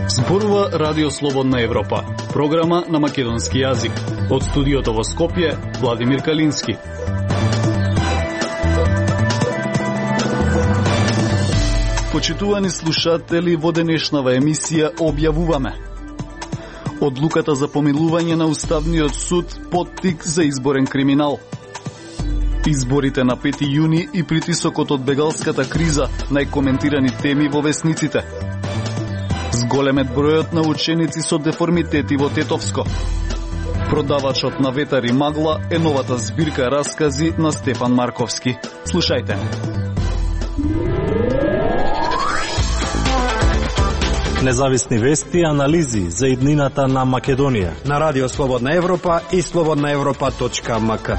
Зборува Радио Слободна Европа, програма на македонски јазик. Од студиото во Скопје, Владимир Калински. Почитувани слушатели, во денешнава емисија објавуваме: одлуката за помилување на Уставниот суд поттик за изборен криминал. Изборите на 5 јуни и притисокот од бегалската криза, најкоментирани теми во весниците. Зголемет бројот на ученици со деформитети во Тетовско. Продавачот на ветар и магла е новата збирка раскази на Стефан Марковски. Слушајте. Независни вести и анализи за иднината на Македонија на Радио Слободна Европа и slobodnaevropa.mk.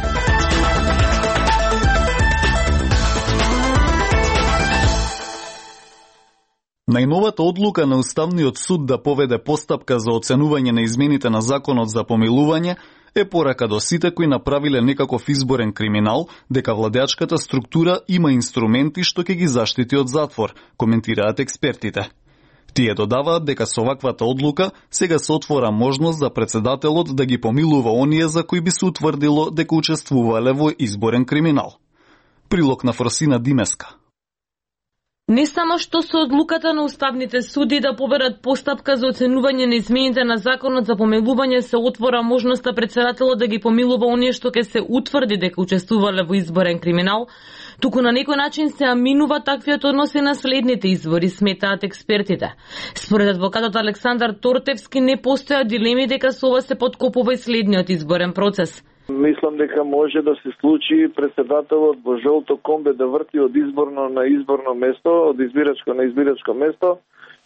Најновата одлука на Уставниот суд да поведе постапка за оценување на измените на Законот за помилување е порака до сите кои направиле некаков изборен криминал дека владеачката структура има инструменти што ќе ги заштити од затвор, коментираат експертите. Тие додаваат дека со ваквата одлука сега се отвора можност за председателот да ги помилува оние за кои би се утврдило дека учествувале во изборен криминал. Прилог на Фросина Димеска. Не само што со одлуката на уставните суди да поберат постапка за оценување на измените на Законот за помилување се отвора можноста председателот да ги помилува оние што ќе се утврди дека учествувале во изборен криминал, туку на некој начин се аминува таквиот однос и на следните избори, сметаат експертите. Според адвокатот Александар Тортевски не постојат дилеми дека со ова се подкопува и следниот изборен процес. Мислам дека може да се случи председателот во жолто комбе да врти од изборно на изборно место, од избирачко на избирачко место,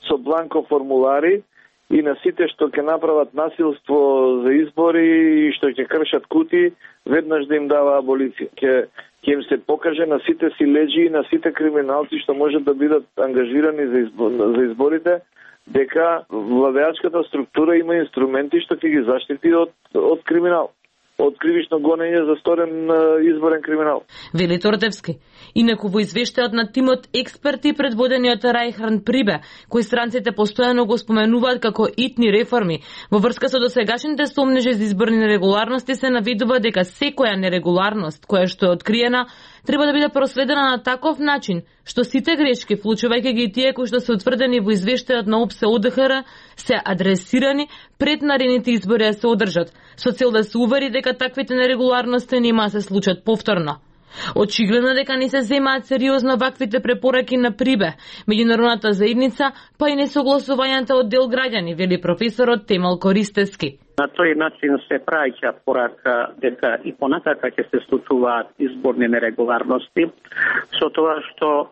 со бланко формулари и на сите што ќе направат насилство за избори и што ќе кршат кути, веднаш да им дава аболиција. Ќе им се покаже на сите силеџи и на сите криминалци што можат да бидат ангажирани за изборите, дека владеачката структура има инструменти што ќе ги заштити од криминал, од кривично гонење за сторен изборен криминал. Вели Тортевски. Инаку во извештајот на тимот експерти предводениот Рајхан Прибе, кои странците постојано го споменуваат како итни реформи, во врска со досегашните сомнежи за изборни нерегуларности се наведува дека секоја нерегуларност која што е откриена треба да биде проследена на таков начин што сите грешки, вклучувајќи ги тие кои што се утврдени во извештајот на ОПСЕ ОДХР, се адресирани пред наредните избори да се одржат, со цел да се увери дека таквите нерегуларности нема да се случат повторно. Очигледно дека не се земаат сериозно ваквите препораки на Прибе, меѓународната заедница, па и несогласувањата од дел граѓани, вели професорот Темел Користевски. На тој начин се праќа порака дека и понатака ќе се случуваат изборни нерегуларности, со тоа што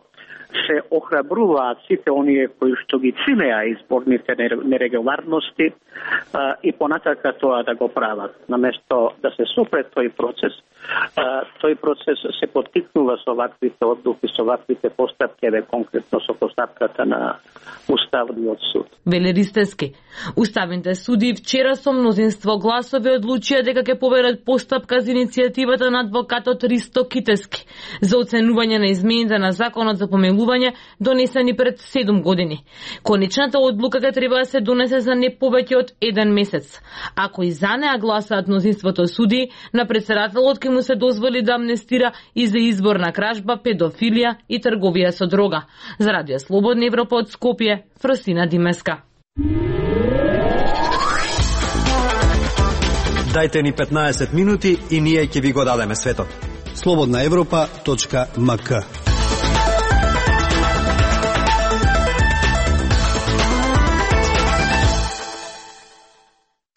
се охрабруваат сите оние кои што ги чинеа изборните нерегуларности и понатака тоа да го прават. Наместо да се сопре тој процес се поттикнува со ваквите одлуки, со ваквите постапки, конкретно со постапката на Уставниот суд. Вели Ристевски. Уставните суди вчера со мнозинство гласови одлучија дека ќе поберат постапка за иницијативата на адвокатот Ристо Китески за оценување на измените на Законот за помилување донесени пред 7 години. Конечната одлука ќе треба да се донесе за не повеќе од 1 месец. Ако и за неа гласаат мнозинството суди, на председателот ќе му се дозволи да амнестира и за изборна кражба, педофилија и трговија со дрога. За Радио Слободна Европа од Скопје, Фросина Димеска. Дајте ни 15 минути и ние ќе ви го дадеме светот. slobodnaevropa.mk.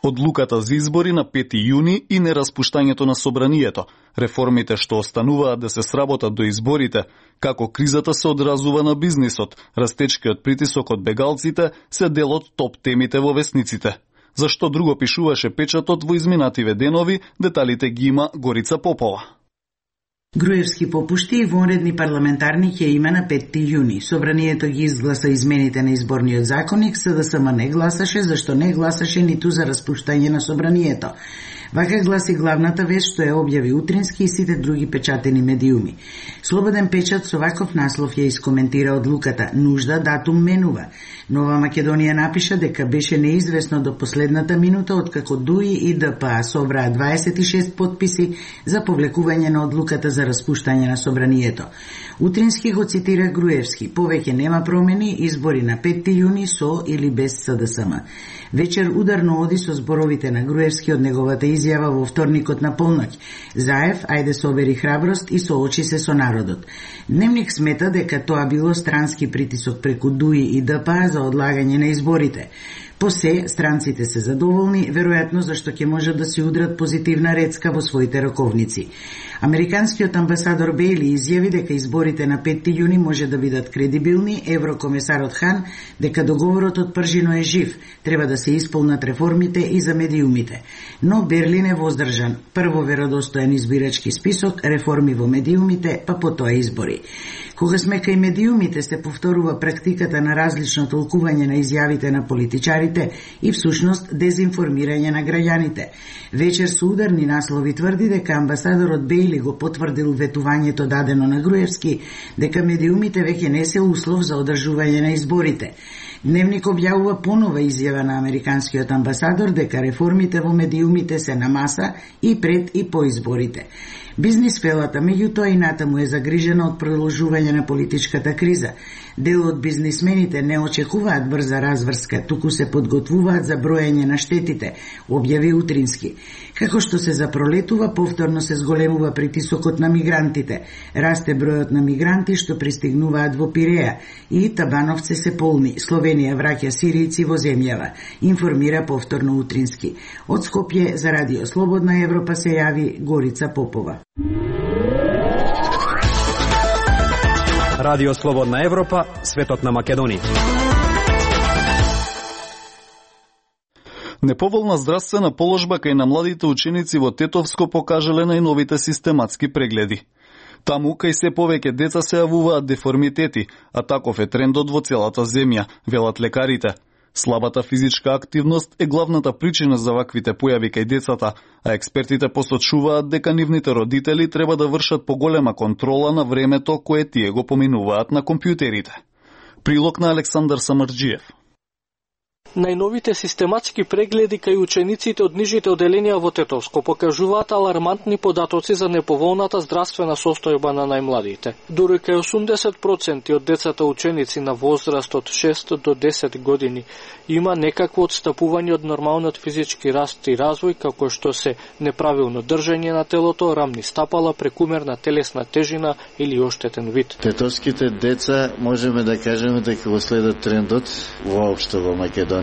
Одлуката за избори на 5 јуни и нераспуштањето на собранието, реформите што остануваат да се сработат до изборите, како кризата се одразува на бизнисот, растечкиот притисок од бегалците се дел од топ темите во весниците. Зашто друго пишуваше печатот во изминативе денови, деталите ги има Горица Попова. Груевски попушти и вонредни парламентарни ќе има на 5 јуни. Собранието ги изгласа измените на изборниот законник, СДСМ не гласаше, зашто не гласаше ниту за распуштање на собранието. Вака гласи главната вест што ја објави Утрински и сите други печатени медиуми. Слободен печат со ваков наслов ја искоментира одлуката «Нужда датум менува». Нова Македонија напиша дека беше неизвестно до последната минута откако ДУИ и ДПА собраа 26 подписи за повлекување на одлуката за распуштање на собранието. Утрински го цитира Груевски: «Повеќе нема промени, избори на 5 јуни со или без СДСМ». Вечер ударно оди со зборовите на Груевски од неговата изјава во вторникот на полноќ. Заев, ајде собери храброст и соочи се со народот. Дневник смета дека тоа било странски притисок преку ДУИ и ДПА за одлагање на изборите. По се, странците се задоволни, веројатно зашто ќе можат да си удрат позитивна рецка во своите раковници. Американскиот амбасадор Бейли изјави дека изборите на 5 јуни може да бидат кредибилни, еврокомесарот Хан дека договорот од пржино е жив, треба да се исполнат реформите и за медиумите. Но Берлин е воздржан. Прво веродостоен избирачки список, реформи во медиумите, па потоа избори. Кога сме кај медиумите се повторува практиката на различно толкување на изјавите на политичарите и всушност дезинформирање на граѓаните. Вечер со ударни наслови тврди дека амбасадорот Бейли го потврдил ветувањето дадено на Груевски дека медиумите веќе не се услов за одржување на изборите. Дневник објавува понова изјава на американскиот амбасадор дека реформите во медиумите се на маса и пред и по изборите. Бизнис фелата, меѓутоа и натаму е загрижена од продолжување на политичката криза. Дел од бизнисмените не очекуваат брза разврска, туку се подготвуваат за броење на штетите, објави Утрински. Како што се запролетува, повторно се зголемува притисокот на мигрантите. Расте бројот на мигранти што пристигнуваат во Пиреја и табановци се полни. Словенија враќа сиријци во земјава, информира повторно Утрински. Од Скопје за Радио Слободна Европа се јави Горица Попова. Радио Слободна Европа, светот на Македонија. Неповолна здравствена положба кај на младите ученици во Тетовско покажале најновите систематски прегледи. Таму кај се повеќе деца се јавуваат деформитети, а таков е трендот во целата земја, велат лекарите. Слабата физичка активност е главната причина за ваквите појави кај децата, а експертите посочуваат дека нивните родители треба да вршат поголема контрола на времето кое тие го поминуваат на компјутерите. Прилог на Александар Самарџиев. Најновите систематски прегледи кај учениците од нижите оделенија во Тетовско покажуваат алармантни податоци за неповолната здравствена состојба на најмладите. Дури кај 80% од децата ученици на возраст од 6 до 10 години има некакво отстапување од нормалниот физички раст и развој, како што се неправилно држење на телото, рамни стапала, прекумерна телесна тежина или оштетен вид. Тетовските деца можеме да кажеме дека го следат трендот воопшто во Македонија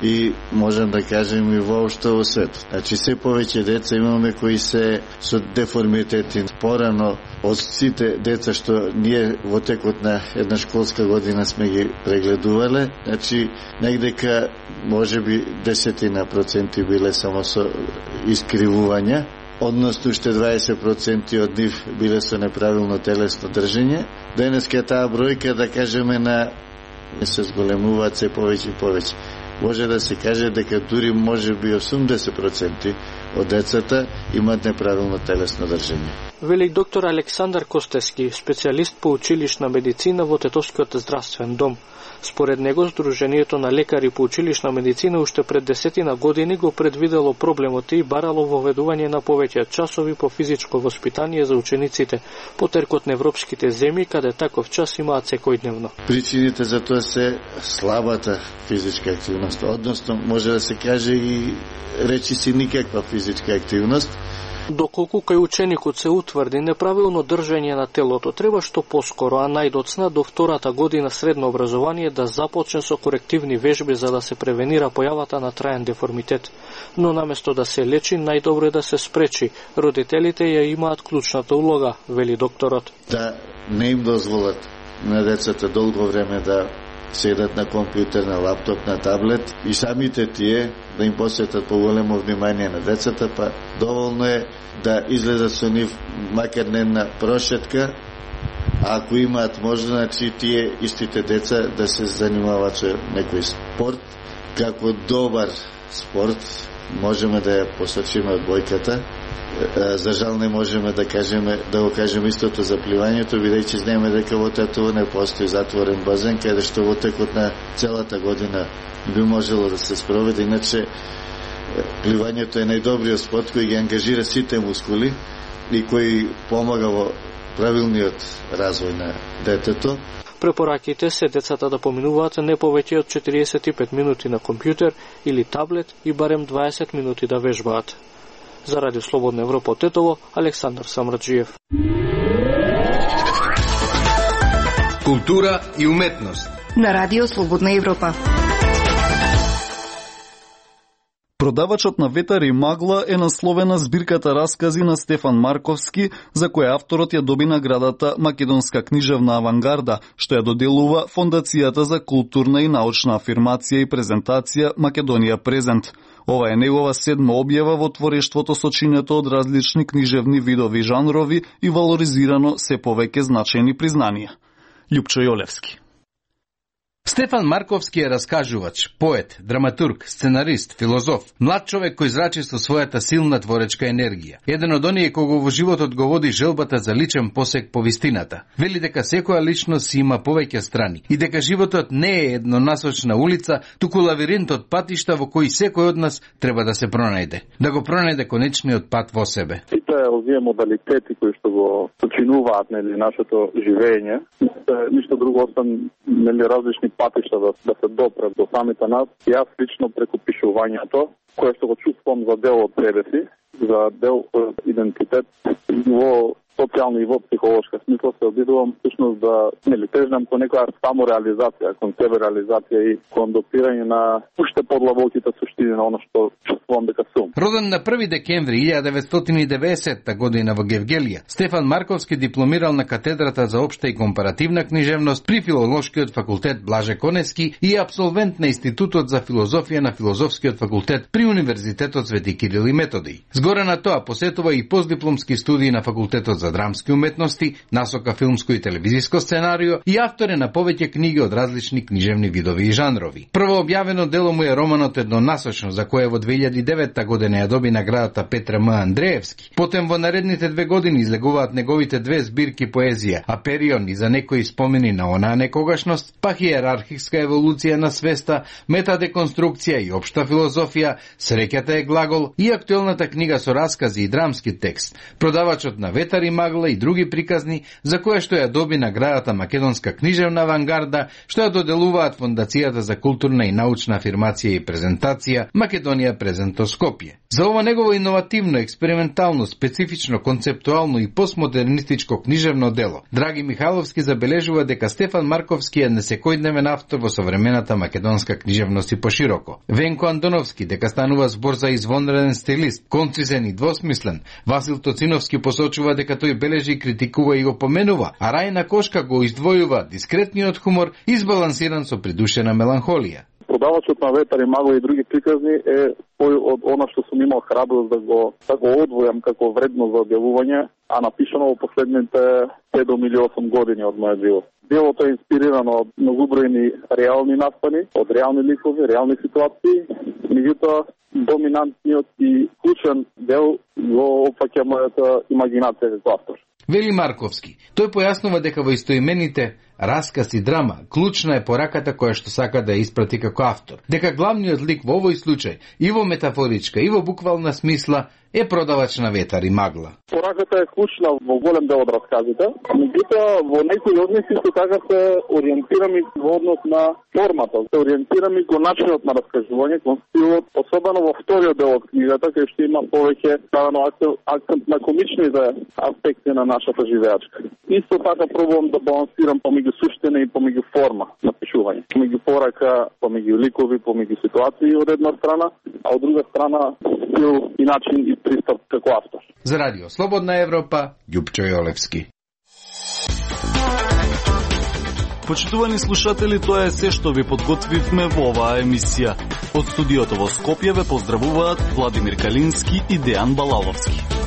и можем да кажем и воопшто во светот. Значи се повеќе деца имаме кои се со деформитети. Порано од сите деца што ние во текот на една школска година сме ги прегледувале, значи негдека можеби 10% биле само со искривувања, односно уште 20% од нив биле со неправилно телесно држење. Денеска таа бројка, да кажеме, на се зголемуваат се повеќе и повеќе. Може да се каже дека дури може би 80% од децата имаат неправилно телесно држење. Вели доктор Александар Костески, специјалист по училишна медицина во Тетовскиот здравствен дом. Според него, Сдруженијето на лекари по училишна медицина уште пред 10 години го предвидело проблемот и барало воведување на повеќе часови по физичко воспитание за учениците, потеркот на европските земји, каде таков час имаат секојдневно. Причините за тоа се слабата физичка активност, односно може да се каже и речи си никаква физичка активност. Доколку кај ученикот се утврди неправилно држење на телото, треба што поскоро, а најдоцна до втората година средно образование да започне со корективни вежби за да се превенира појавата на траен деформитет. Но наместо да се лечи, најдобро е да се спречи. Родителите ја имаат клучната улога, вели докторот. Да не им дозволат на децата долго време да седат на компјутер, на лаптоп, на таблет и самите тие да им посветат поголемо внимание на децата, па доволно е да излезат со нив макар не на прошетка, а ако имаат можност, значи тие истите деца да се занимаваат со некој спорт како добар спорт можеме да ја посочиме одбојката. За жал не можеме да го кажеме истото за пливањето, бидејќи знаеме дека во Тетово не постои затворен базен, каде што во текот на целата година би можело да се спроведе. Иначе пливањето е најдобриот спорт кој ги ангажира сите мускули и кој помага во правилниот развој на детето. Препораките се децата да поминуваат не повеќе од 45 минути на компјутер или таблет и барем 20 минути да вежбаат. За Радио Слободна Европа од Тетово, Александар Самраджиев. Култура и уметност на Радио Слободна Европа. Продавачот на ветар и магла е насловена збирката раскази на Стефан Марковски, за која авторот ја доби наградата Македонска книжевна авангарда, што ја доделува Фондацијата за културна и научна афирмација и презентација Македонија Презент. Ова е негова 7 објава во творештвото сочинето од различни книжевни видови и жанрови и валоризирано се повеќе значајни признанија. Љупчо Јолевски. Стефан Марковски е раскажувач, поет, драматург, сценарист, филозоф, млад човек кој зрачи со својата силна творечка енергија. Еден од оние кого во животот го води желбата за личен посек по вистината. Вели дека секоја личност си има повеќе страни и дека животот не е еднонасочна улица, туку лавиринт од патишта во кои секој од нас треба да се пронајде. Да го пронајде конечниот пат во себе. Сите овие модалитети кои што го сочинуваат нашето живење, ништо друго освен различни патишта да се допрат до самите нас. Јас лично преку пишувањето, кое што го чувствувам за дел од себе си, за дел од идентитет во социјална и во психолошка смисла, се обидувам всушност да тежнам кон некоја самореализација, кон себе реализација и кон допирање на уште подлабоките суштини на оно што чувствувам дека сум. Роден на 1 декември 1990 година во Гевгелија, Стефан Марковски дипломирал на катедрата за општа и компаративна книжевност при Филолошкиот факултет Блаже Коневски и абсолвент на Институтот за филозофија на Филозофскиот факултет при Универзитетот Свети Кирил и Методиј. Згоре на тоа посетува и постдипломски студии на Факултетот за драмски уметности, насока филмско и телевизиско сценарио и автор е на повеќе книги од различни книжевни видови и жанрови. Прво објавено дело му е романот Еднонасочно, за кое во 2009 година ја доби наградата Петра М. Андреевски. Потем во наредните 2 години излегуваат неговите 2 збирки поезија, Аперион и за некои спомени на онаа некогашност, па Хиерархиска еволуција на свеста, Метадеконструкција и општа филозофија, Среќата е глагол и актуелната книга со раскази и драмски текст, Продавачот на ветар и магла и други приказни, за кое што ја доби наградата Македонска книжевна авангарда, што ја доделуваат Фондацијата за културна и научна афирмација и презентација Македонија Презент Скопје. За ова негово иновативно, експериментално, специфично, концептуално и постмодернистичко книжевно дело, Драги Михайловски забележува дека Стефан Марковски е несекојдневен автор во современата македонска книжевност и пошироко. Венко Андоновски дека станува збор за извонреден стилист, концизен и двосмислен. Васил Тоциновски посочува дека тој бележи, критикува и го поменува, а Рајна Кошка го издвојува дискретниот хумор избалансиран со придушена меланхолија. Продавачот на ветар и магла и други приказни е тој од она што сум имал храброст да го одвојам како вредно за објавување, а напишано во последните 7 или 8 години од мојот живот. Делото е инспирирано од многобројни реални настани, од реални ликови, реални ситуации, меѓутоа доминантниот и клучен дел го опфаќа мојата имагинација како автор. Вели Марковски. Тој појаснува дека во истоимените расказ и драма клучна е пораката која што сака да ја испрати како автор. Дека главниот лик во овој случај, и во метафоричка, и во буквална смисла, е продавач на ветар и магла. Пораката е клучна во голем дел од расказите, меѓутоа во некои од нив исто така се ориентираме во однос на формата, се ориентираме кон начинот на раскажување, кон стилот, особено во вториот дел од книгата, кај што има повеќе ставено акцент на комичните аспекти на нашата живеачка. Исто така пробувам да балансирам помеѓу суштина и помеѓу форма на пишување, помеѓу порака, помеѓу ликови, помеѓу ситуации од една страна, а од друга страна стил и начин и пристап како автор. За Радио Слободна Европа, Љупчо Јолевски. Почитувани слушатели, тоа е се што ви подготвивме во оваа емисија. Од студиото во Скопје ве поздравуваат Владимир Калински и Дејан Балаловски.